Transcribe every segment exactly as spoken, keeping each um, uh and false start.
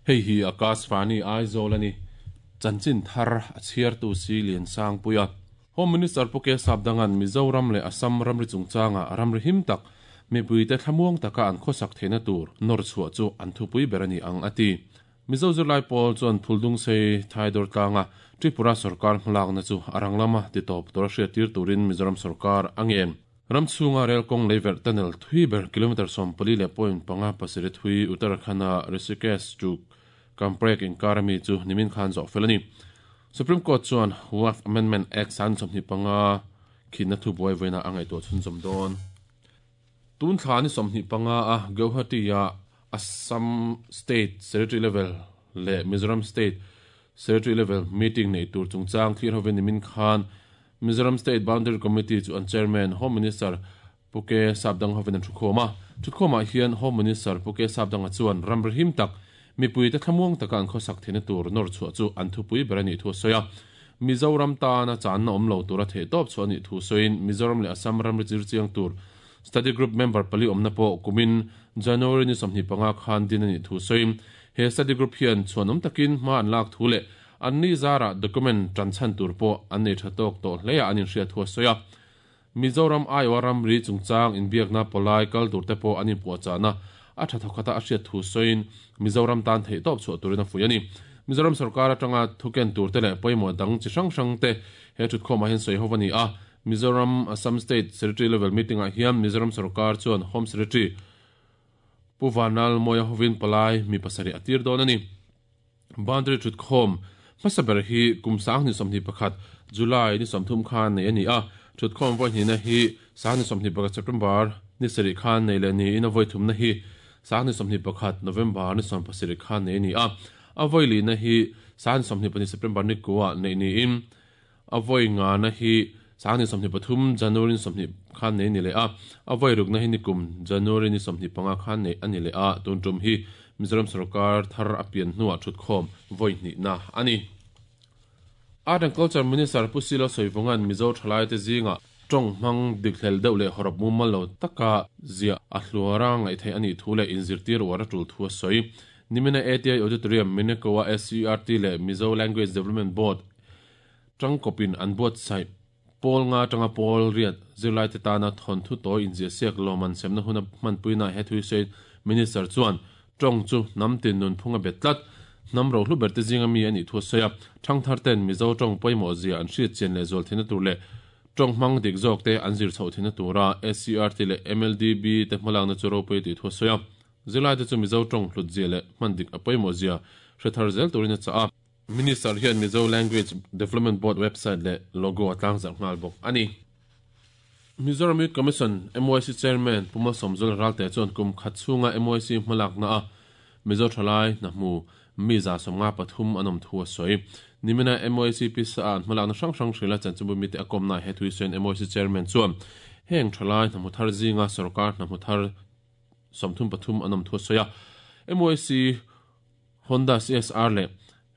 Hei hi Akashvani Aizawl ani. Chanchin thar a chhiartu si Lian Sangpuia. Home Minister Pu K Sapdangan Mizoram leh Assam ramri chungchanga ramri him tak mipuite thlamuang taka an khawsak theihna tur nawr chhuah chu an thupui ber ani ang a ti. Mizo zirlai pawl chuan Phuldung sei Thaidawr tlanga Tripura sarkar hmalakna chu a rang lama titawp tura hriat tir turin Mizoram sarkar a ngen. Ram chhunga rel kawng leiverh tunnel thui ber kilometer sawm pali leh point panga pasarih thui Uttarakhand-a Rishikesh chu Kamprek inkar ami chu nimin khan zawh fel a ni. Supreme Court chuan Waqf Amendment Act san sawmhnih panga khinna thu buai vawiinah a ngaihtuah chhunzawm dawn. Tun thla ni sawmhnih panga a Guwahati-a Assam State Secretary Level leh Mizoram State Secretary Level meeting nei tur chungchang thlir hovin nimin khan Mizoram State Boundary Committee chu an Chairman Home Minister Pu K Sapdang hovin an thukhawm a. Thukhawmah hian Home Minister Pu K Sapdanga chuan ramri him tak mipuite thlamuang taka an khawsak theihna tur nawr chhuah chu an thupui ber a nih thu a sawi a. Mizoram tana channa awm lo tura theih tawp chhuah a nih thu sawiin Mizoram leh Assam ramri chir chiang tur Study Group member pali awmna pawh kumin January ni sawmhnih panga khan din a nih thu sawiin he study group hian chhuanawm takin hma an lak thu leh an ni zarah document tan chhan tur pawh an nei tha tawk tawh hle a an inhriat thu a sawi a. Mizoram Aiwa ramri chungchang inbiakna pawlai kal tur te pawh an inpuahchahna a tha thawkhata a hriat thu sawiin Mizoram tan theih tawp chhuah turin a fuih a ni. Mizoram sarkar atanga thuken tur te leh pawimawh dang chi hrang hrang te he thutkhawmah hian sawi ho a ni a. Mizoram Assam State Secretary Level meeting ah hian Mizoram sarkar chuan Home Secretary Pu Vanlal Mawia hovin palai mi pasarih a tir dawn a ni. Boundary thutkhawm hmasa ber hi kum sang ni sawmhnih pakhat July ni sawmthum khan nei a ni a. Thutkhawm vawi hnihna hi sang ni sawmhnih pakhat September ni sarih khan nei leh niin a vawi thumna hi sang ni sawmhnih pakhat November ni sawm pasarih khan nei a ni a. A vawi lihna hi sang ni sawmhnih pahnih September ni kua nei niin a vawi ngana hi sang ni sawmhnih pathum January ni sawmhnih khan nei ni leh a. A vawi rukna hi ni kum January ni sawmhnih panga khan nei a ni leh a. Tun tum hi Mizoram sarkar thar a pian hnuah thutkhawm vawi hnihna a ni. Art and Culture Minister Pu Silo Soivungan Mizo thalai te zinga tawng hmang dik hlel deuh leh horop mumal lo taka zia a hluara ngaih theih a nih thu leh inzirtir uar a tul thu a sawi. Nimina A T I Auditorium Minekoa S C R T leh Mizo Language Development Board tangkawpin an buatsaih pawl nga tanga pawl riat zirlai te tana thawn thu tawi inzia siak lawman semna hun a hmanpuina he thui sawi Minister chuan tawng chu hnam tin nun phunga bet tlat hnam ro hlu ber te zinga mi a nih thu a sawi a. Thangthar ten Mizo tawng pawimawh zia an hriat chian leh zual theihna tur leh tawng hmang dik zawk te an zir chhoh theihna tura S C R T leh M L D B te hmalakna chu ropui tih thu a sawi a. Zirlai te chu Mizo tawng hlut zia leh hman dik a pawimawh zia hre thar zel turin a chah a. Minister hian Mizo Language Development Board website leh logo a tlangzarh nghal bawk a ni. Mizoram Youth Commission M Y C Chairman Pu Malsawmzul Ralte chuan kum khat chhunga M Y C hmalakna a Mizo thalai hna mi za sawmnga pathum an awm thu a sawi. Nimina M Y C pisa an hmalakna hrang hrang hrila chanchinbu mi te a kawmna he thui sawiin M Y C Chairman chuan heng thalai hna thar zinga sarkar hna thar sawmthum pathum an awm thu a sawi a. M Y C Honda C S R leh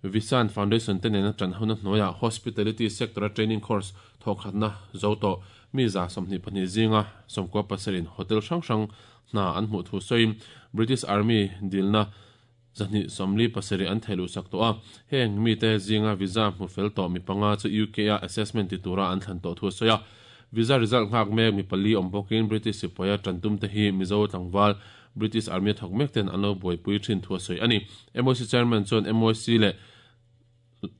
Visan Foundation te nena tan huna hnuaia Hospitality Sector Training Course thawkhatna zo to mi za sawmhnih pahnih zinga sawmkua pasarin hotel hrang hrang hna an hmuh thu sawiin British Army dilna zahnih sawmli pasarih an theiluh sak tawh a. Heng mi te zinga visa hmu fel tawh mi panga chu U K a assessment ti tura an thlan tawh thu a sawi a. Visa result nghak mek mi pali awm bawkin British sipaia tantum te hi Mizo tlangval British Army thawk mek ten an lo buaipui thin thu a sawi a ni. M Y C Chairman chuan M Y C leh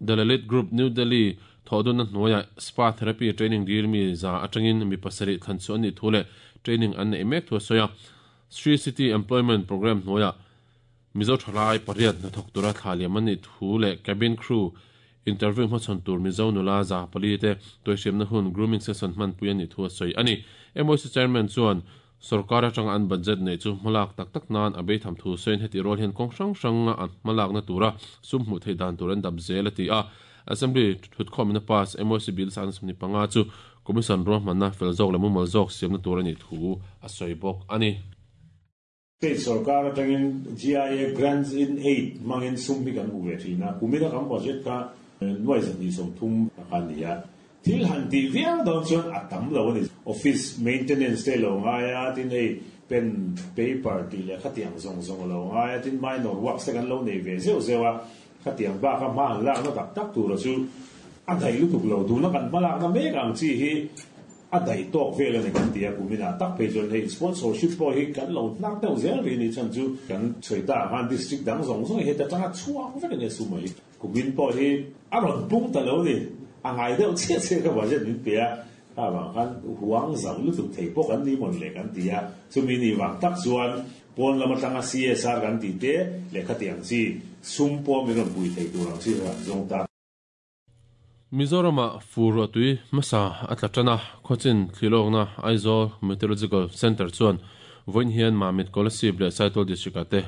The Lalit Group New Delhi thodun na hnuaia spa therapy training dil mi za atangin mi pasarih thlan chu ani thu leh training an nei mek thu a sawi a. Sri City Employment Program hnuaia Mizo thalai pariat na thawk tura thla liam ani thu leh cabin crew interview hmachhawn tur Mizo nula za pali te tuihriamna hun grooming session hmanpui ani thu a sawi a ni. M Y C Chairman chuan sarkar atanga an budget nei chu hmalak tak tak nan a beitham thu sawiin heti rol hian kawng hrang hranga an hmalakna tura sum hmuh theih dan tur an dap zel a ti a. Assembly thutkhawmna pass M Y C bill sang sawmhnih panga chu commission ruahmanna fel zawk leh mumal zawk siamna tur ani thu a sawi bawk a ni. State sarkar atangin G I A grants in aid mangin sum hi kan hmu ve thina kumina kan budget kha nuai zahnih sawmthum kan ni a. Thil han ti viau dawn chuan a tam lo ani. Office maintenance te lo ngai a, tin hei pen paper ti leh khatiang zawng zawng lo ngai a, tin minor works te kan lo nei ve zeuh zeuh a, khatiang bak a hma han lakna tak tak tura chu a daih lutuk lo. Tuna kan hma lakna mek ang chi hi a daih tawk vel ani kan ti a, kumina tak phei chuan hei sponsorship pawh hi kan lo hnar deuh zel ri ni chan chu kan sawi ta khan district dang zawng zawng hi ta tanga chhuak vek ani su mai. Kumin pawh hi a rawn pung ta lo ni, a ngai deuh chiah chiah ka budget min pe a, kha wang khan huang zau lutuk thei pawh kan ni mawn le kan ti a, chumi ni wang tak chuan pawn lama tanga C S R kan ti te lehkha tiang chi sum pawh min rawn pui thei tur ang chi ran zawng ta. Mizorama fur atui masa atlatana khochin thlilokna Aizawl Meteorological Center chuan voin hian Mamit Kolasib leh Saitual district ate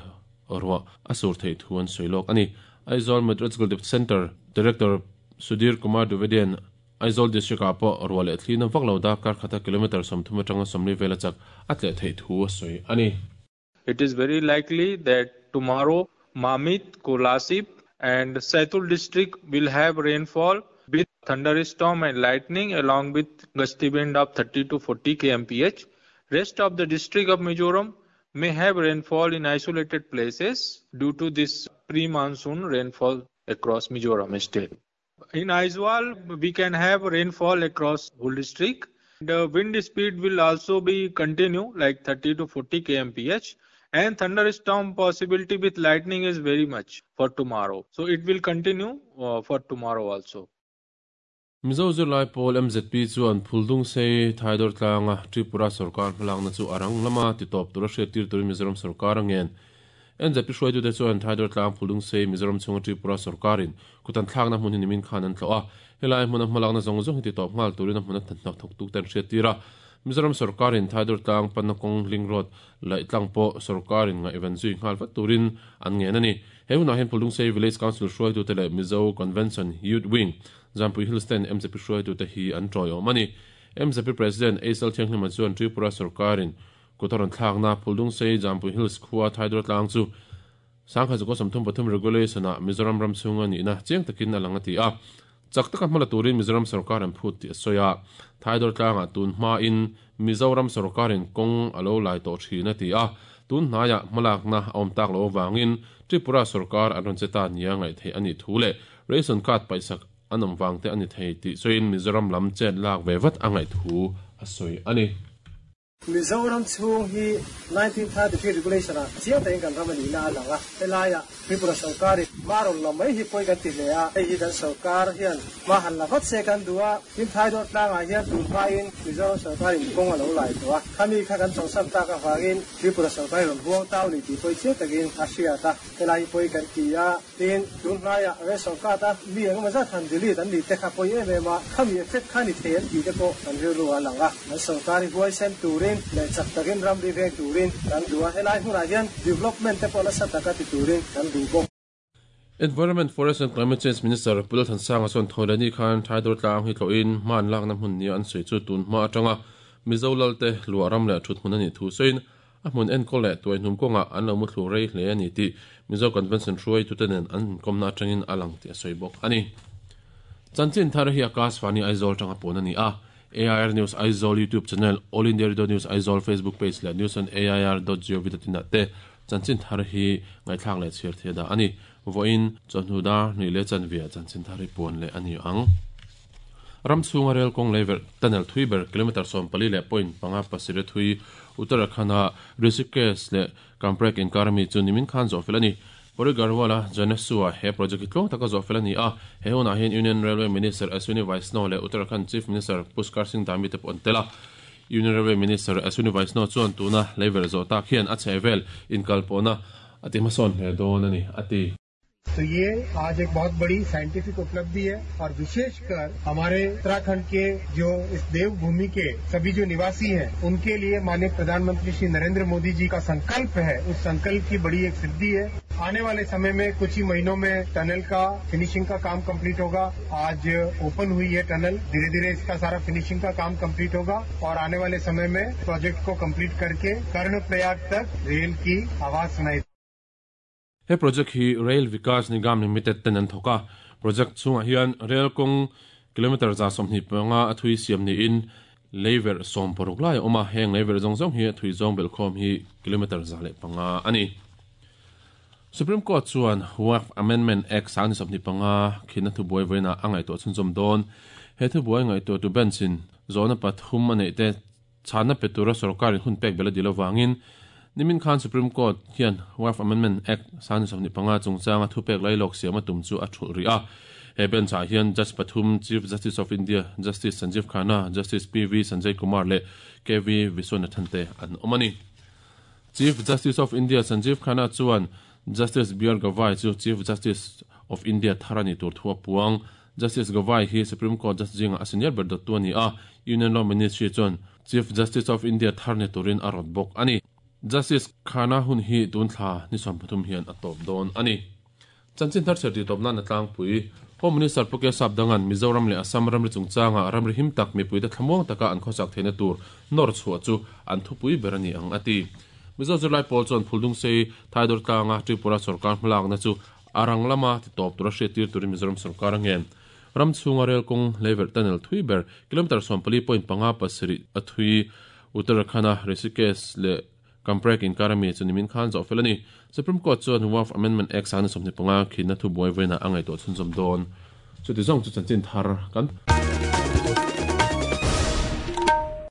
orwa asur thei thuan soilok ani. Aizawl Meteorological Center Director Sudhir Kumar Dwivedian Aizawl district a pawh orwa leh thlina vaklo da kar khata kilometer sawmthum atanga sawmli vela chak atle thei thu a soi ani. It is very likely that tomorrow Mamit, Kolasib and Saitual district will have rainfall with thunderstorm and lightning along with gusty wind of thirty to forty kilometers per hour. Rest of the district of Mizoram may have rainfall in isolated places due to this pre-monsoon rainfall across Mizoram state. In Aizawl, we can have rainfall across whole district. The wind speed will also be continue like thirty to forty kilometers per hour, and thunderstorm possibility with lightning is very much for tomorrow. So it will continue uh, for tomorrow also. Mizo Zirlai Pawl M Z P chuan Phuldung sei Thaidor tlanga Tripura sarkar hmalakna chu arang lama ti tawp tura hriat tir turin Mizoram sarkar angen. M Z P hruaitu te chuan Thaidor tlang Phuldung sei Mizoram chhunga Tripura sarkarin kutan thlakna hmun hi nimin khan an thlawh a, helai hmuna hmalakna zawng zawng hi ti tawp nghal turin a hmuna thanhnak thawk tuk ten hriat tir a. Mizoram sarkarin Thaidor tlang panna kawng ling road laih tlang pawh sarkarin ngaihven zui nghal vat turin an ngen ani. He hunah hian Phuldung sei Village Council hruaitu te leh Mizo Convention Youth Wing Jampui Hills ten M Z P hruaitu te hi an tawiawm ani. M Z P President Aisal Thianghlima chuan Tripura sarkarin kutaron thlakna Phuldung sei Jampui Hills khua Thaidor tlang chu sangkha zuko samthum pathum regulation a Mizoram ram chhunga ni na chiang takin alanga ti a, chak taka hmala turin Mizoram sarkar an phut ti soya. Thaidor tlanga tun hma in Mizoram sarkarin kawng alo lai tawh thina ti a, tun hnaiah hmalakna a awm tak lo wangin Tripura sarkar an rawn cheta nia ngaih thei ani thu leh ration card paisak an awm wang te ani thei tih chuin Mizoram lam chet lak ve vat a ngaih thu a sawi ani. Mizoram chhung hi nineteen thirty-three regulation a chiang takin kan ram ani na a lang a, helaia Tripura sarkar maron la mai hi pawh kan ti hle a, hei hi kan sarkar hian hma han la vat se kan duh a, tin Thaidor tlangah hian tun hmain Mizoram sarkarin kawng a lo lai tawh a, khami kha kan chawlhsan tak avangin Tripura sarkarin rawn huang tau ni tih pawh chiang takin a hriat a, helai hi pawh kan ti a, tin tun hnaiah ration card a mi engemaw zat han delete an ni te kha pawh em em a, khami effect kha ni thei an tih te pawh kan rilru a lang a, an sarkar hi huaisen turin leh chak takin ram ri veng turin kan duh a, helai hmunah hian development te pawh nasa taka ti turin kan duh bawk. Environment, Forest and Climate Change Minister Pulal Thansanga chuan Thawilani khan Thaidor tlang hi tlawhin hman lakna hmun nia an sawi chu tun hma atanga Mizo lalte luah ram leh thut hmun ani thu sawiin a hmun enkawl leh tuai hnum kawngah an lo mu thlu rei hle ani tih Mizo Convention hruaitu te nen an inkawmna atangin a lang tih a sawi bawk ani. Chanchin thar hi Akashvani Aizawl tanga pawn ani a, A I R News Aizawl YouTube channel, All India Radio News Aizawl Facebook page leh news on A I R dot gov dot in te chanchin thar hi ngaithlak leh chhiar thei da ani. Voin chawhnu dar hnih leh chanvia chanchin thar hi pawn leh ani ang. Ram chhunga rel kawng leiver tunnel thui ber kilometer sawm pali leh point panga pasarih thui Uttarakhand-a Rishikesh leh Kamprek inkar mi chu nimin khan zawh fel ani. Pori Garhwala Janesua he project hi tluang taka zawh fel ani a, he hunah hian Union Railway Minister Ashwini Vaishnaw leh Uttarakhand Chief Minister Pushkar Singh Dhami te pawh an tel a. Union Railway Minister Ashwini Vaishnaw chuan tuna leiver zawh tak hian a chhehvel inkalpawhna a ti hmasawn hle dawn ani a ti. तो ये आज एक बहुत बड़ी scientific उपलब्धि है और विशेषकर हमारे उत्तराखंड के जो इस देवभूमि के सभी जो निवासी हैं उनके लिए माननीय प्रधानमंत्री श्री नरेंद्र मोदी जी का संकल्प है, उस संकल्प की बड़ी एक सिद्धि है। आने वाले समय में कुछ ही महीनों में टनल का फिनिशिंग का काम कंप्लीट होगा। आज ओपन हुई है टनल, धीरे धीरे इसका सारा फिनिशिंग का काम कंप्लीट होगा और आने वाले समय में प्रोजेक्ट को कंप्लीट करके कर्णप्रयाग तक रेल की आवाज सुनाई। He project hi Rail Vikas Nigam Limited ten an thoka project chungah hian rail kawng Kilometer za sawmhnih panga a thui siam niin leiverh sawm paruk lai a awm a, heng leiverh zawng zawng hi a thui zawng belhkhawm hi kilometer za leh panga a ni. Supreme Court chuan Waqf Amendment Act sang ni sawmhnih panga khinna thubuai vawiinah a ngaihtuah chhunzawm dawn. He thubuai ngaihtuah tu bench in zawhna pathum a neih te chhanna pe tura sorkarin hun pek bel a dil avangin nimin khan Supreme Court hian Waqf Amendment Act sang ni sawmhnih panga chungchanga thupek lailawk siam a tum chu a thulh rih a. He bench ah hian Judge pathum Chief Justice of India Justice Sanjiv Khanna, Justice P V Sanjay Kumar leh K V Viswanathan te an awm a ni. Chief Justice of India Sanjiv Khanna chuan Justice B R Gavai chu Chief Justice of India thar a ni tur thu a puang. Justice Gavai hi Supreme Court judge zinga a senior ber dawttu a ni a, Union Law Ministry chuan Chief Justice of India thar ni turin a rawt bawk a ni. Justice Khanna hun hi tun thla ni sawm pathum hian a tawp dawn a ni. Chanchin thar chher tih tawp nan a tlangpui. Home Minister Pu K Sapdangan Mizoram leh Assam ramri chungchanga ramri him tak mipuite thlamuang taka an khawsak theihna tur nawr chhuah chu an thupui ber a ni ang a ti. Mizo zirlai pawl chuan Phuldung sei Thaidawr tlanga Tripura sorkar hmalakna chu a rang lama ti tawp tura hriat tir turin Mizoram sorkar a ngen. Ram chhunga rel kawng leiverh tunnel thui ber kilometer sawmpali point panga pasarih a thui Uttarakhand-a Rishikesh leh Kamprek inkar ami chu nimin khan zawh fel a ni. Supreme Court chuan Waqf Amendment Act sang ni sawmhnih panga khinna thubuai vawiinah a ngaihtuah chhunzawm dawn. Chuti zawng chu chanchin thar kan